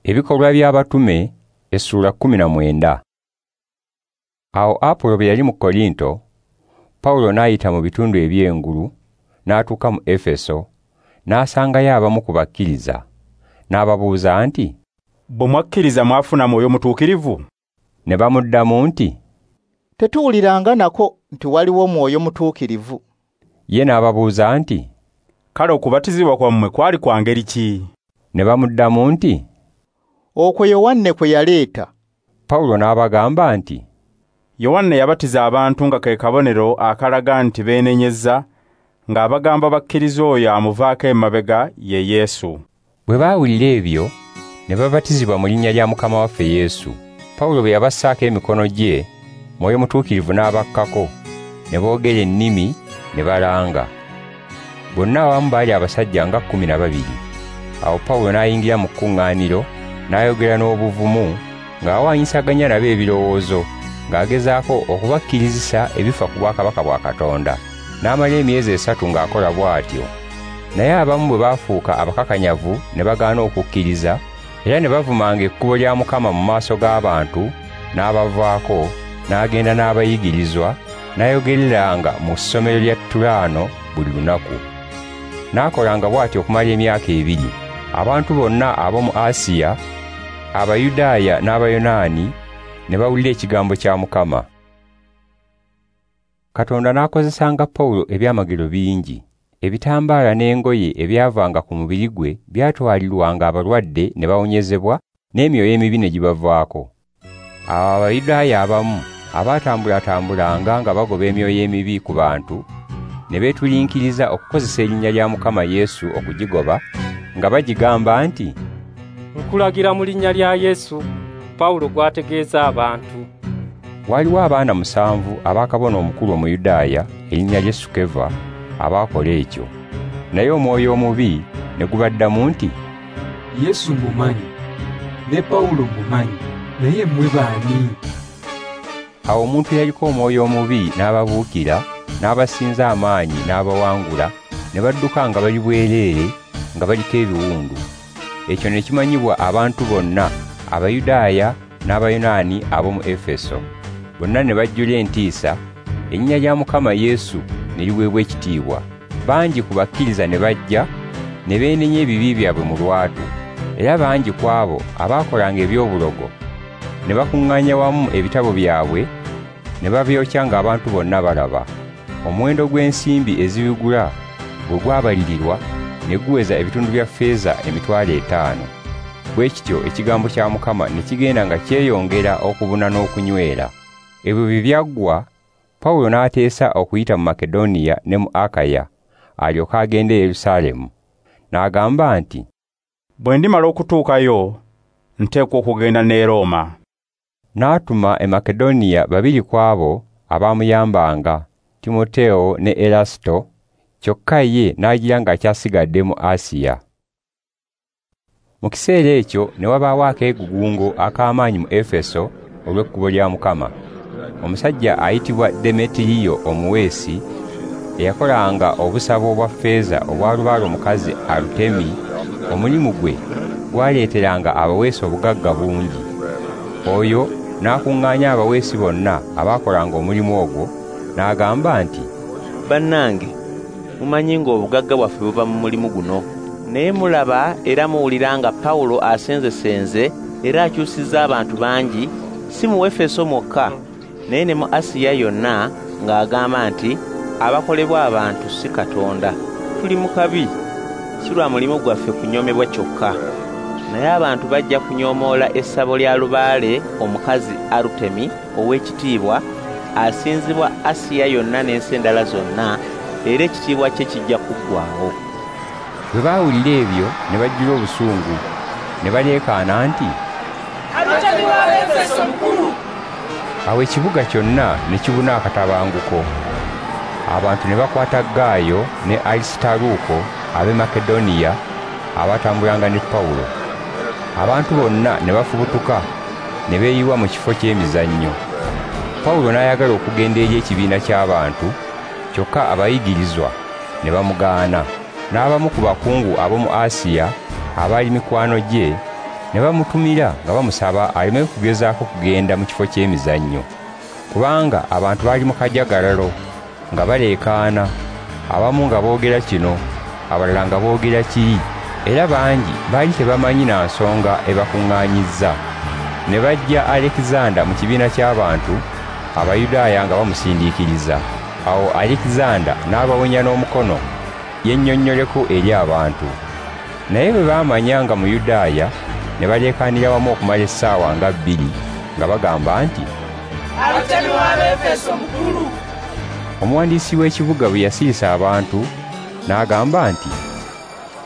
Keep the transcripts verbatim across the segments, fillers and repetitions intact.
Ebikolwa by'Abatume essuula kkumi na mwenda. Awo Apolo bwe yali mu Korinto, Pawulo n'ayita mu bitundu eby'engulu, n'atuuka mu Efeso, n'asangayo abamu ku bakkiriza, n'ababuuza nti, "Bwe mwakkiriza mwafuna Mwoyo Mutuukirivu?" Ne bamuddamu nti, "Tetuwuliranga nako nti waliwo Mwoyo Mutuukirivu." Ye n'ababuuza nti, "Kale okubatizibwa kwammwe kwali kwa ngeri ki?" Ne bamuddamu nti, "Okwo Yowanne kwe yaleeta." Pawulo n'abagamba nti, "Yowanne yabatiza abantu nga ke kabonero akalaga nti beenenyezza, ng'abagamba bakkiriza oyo amuvaako emabega ye Yesu." Bwe baawulira ebyo, ne babatizibwa mu linnya lya Mukama waffe Yesu. Pawulo bwe yabassaako emikono gye, Mwoyo Mutuukirivu n'abakkako, ne boogera ennimi ne balanga. Bonna awamu baali abasajja nga kkumi na babiri. Awo Pawulo n'ayingira mu kkuŋŋaaniro, n'ayogera n'obuvumu, ng'awaanyisaganya nabo ebirowoozo, ng'agezaako okubakkirizisa ebifa ku bwakabaka bwa Katonda. N'amala emyezi esatu ng'akola bw'atyo. Naye abamu bwe baafuuka abakakanyavu ne bagaana okukkiriza, era ne bavumanga ekkubo lya Mukama mu maaso g'abantu, n'abavaako, n'agenda n'abayigirizwa, n'ayogereranga mu ssomero lya Tulaano buli lunaku. N'akolanga bw'atyo okumala emyaka ebiri. Abantu bonna ab'omu Asiya, Abayudaaya n'Abayonaani, ne bawulira ekigambo kya Mukama. Katonda n'akozesanga Pawulo ebyamagero bingi. Ebitambaala n'engoye ebyavanga ku mubiri gwe byatwalirwanga abalwadde ne bawonyezebwa, n'emyoyo emibi ne gibavaako. Awo Abayudaaya abamu abatambulatambulanga nga bagoba emyoyo emibi ku bantu, ne beetulinkiriza okukozesa erinnya lya Mukama Yesu okugigoba, nga bagigamba nti, "Nkulagira mu linnya lya Yesu, Pawulo gw'ategeeza abantu." Waliwo abaana musanvu aba kabona omukulu Omuyudaaya, erinnya lye Sukeva, abaakola ekyo. Naye omwoyo omubi ne gubaddamu nti, "Yesu mumanyi, ne Pawulo mumanyi, naye mmwe baani?" Awo omuntu eyaliko omwoyo omubi n'ababuukira, n'abasinza amaanyi n'abawangula, ne badduka nga bali bwereere, nga baliko ebiwundu. Ekyo ne kimanyibwa abantu bonna, Abayudaaya n'Abayonaani ab'omu Efeso. Bonna ne bajjula entiisa, erinnya lya Mukama Yesu ne liweebwa ekitiibwa. Bangi ku bakkiriza ne bajja, ne beenenya ebibi byabwe mu lwatu. Era bangi ku abo abaakolanga eby'obulogo ne bakuŋŋaanya wamu ebitabo byabwe, ne babyokya ng'abantu bonna balaba. Omuwendo gw'ensimbi ezibigula bwe gwabalirirwa, ne guweza ebitundu bya ffeeza emitwalo etaano. Bwe kityo ekigambo kya Mukama ne kigenda nga kyeyongera okubuna n'okunywera. Ebyo bwe byaggwa, Pawulo n'ateesa okuyita mu Makedoniya ne mu Akaya, alyoke agende e Yerusaalemu. N'agamba nti, "Bwe ndimala okutuukayo, nteekwa okugenda ne Rooma." N'atuma e Makedoniya babiri ku abo abaamuyambanga, Timotewo ne Erasito, kyokka ye n'agira ng'akyasigadde mu Asiya. Mu kiseera ekyo ne wabaawo akeegugungo ak'amaanyi mu Efeso olw'ekkubo lya Mukama. Omusajja ayitibwa Demetiriyo omuweesi, eyakolanga obusabo obwa ffeeza obwa lubaale omukazi Arutemi, omulimu gwe gwaleeteranga abaweesi obugagga bungi. Oyo n'akuŋŋaanya abaweesi bonna abaakolanga omulimu ogwo, n'agamba nti, "Bannange, mumanyi ng'obugagga bwaffe buva mu mulimu guno. Naye mulaba era muwulira nga Pawulo asenzesenze era akyusizza abantu bangi, si mu Efeso mwokka, naye ne mu Asiya yonna, ng'agamba nti abakolebwa abantu si Katonda. Tuli mu kabi, si lwa mulimu gwaffe kunyoomebwa kyokka, naye abantu bajja kunyoomoola essabo lya lubaale omukazi Arutemi ow'ekitiibwa, asinzibwa Asiya yonna n'ensi endala zonna, era ekitiibwa kye kijja kuggwaawo." Bwe baawulira ebyo ne bajjula obusungu, ne baleekaana nti, "Arutemi w'Abaefeso mukulu!" Awo ekibuga kyonna ne kibuna akatabanguko. Abantu ne bakwata Gaayo ne Alisitaluuko ab'e Makedoniya abatambulanga ne Pawulo. Abantu bonna ne bafubutuka ne beeyiwa mu kifo ky'emizannyo. Pawulo n'ayagala okugenda eri ekibiina ky'abantu, kyokka abayigirizwa ne bamugaana. N'abamu ku bakungu ab'omu Asiya abaali mikwano gye Ne bamutumira nga bamusaba aleme kugezaako kugenda mu kifo ky'emizannyo, kubanga abantu baali mu kajagalalo nga baleekaana, abamu nga boogera kino, abalala nga boogera kiri, era bangi baali tebamanyi na nsonga ebakuŋŋaanyizza. Ne bajja Alekizanda mu kibiina ky'abantu Abayudaaya nga bamusindiikiriza. Awo Alekizanda n'abawonya n'omukono yennyonnyoleko eri abantu. Naye bwe baamanya nga Muyudaaya, ne baleekaanira wamu okumala essaawa nga bbiri nga bagamba nti, Arutemi w'Abaefeso mukulu! Omuwandiisi w'ekibuga bwe yasirisa abantu n'agamba nti,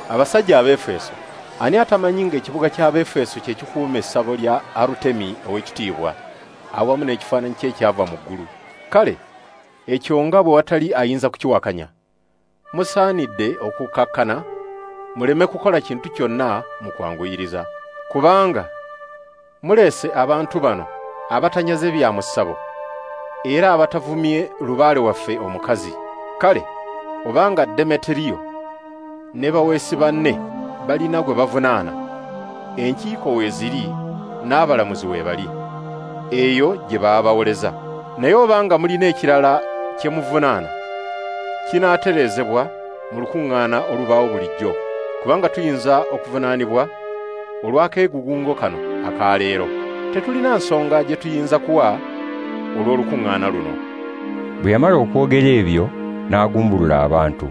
Abasajja ab'Efeso, ani atamanyi ng'ekibuga ky'Abaefeso kye kikuuma essabo lya Arutemi ow'ekitiibwa awamu n'ekifaananyi kye ekyava mu ggulu? Kale ekyo nga bwe watali ayinza kukiwakanya, musaanidde okukakkana muleme kukola kintu kyonna mu kwanguyiriza. Kubanga muleese abantu bano abatanyaze bya mu ssabo era abatavumye lubaale waffe omukazi. Kale obanga Demeteriyo ne baweesi banne balina gwe bavunaana, enkiiko weeziri n'abalamuzi we bali, eyo gye baabawoleza. Naye obanga mulina ekirala kye muvunaana, kinaatereezebwa mu lukuŋŋaana olubaawo bulijjo, kubanga tuyinza okuvunaanibwa olw'akeegugungo kano akaleero. Tetulina nsonga gye tuyinza kuwa olw'olukuŋŋaana luno. Bwe yamala okwogera ebyo n'agumbulula abantu.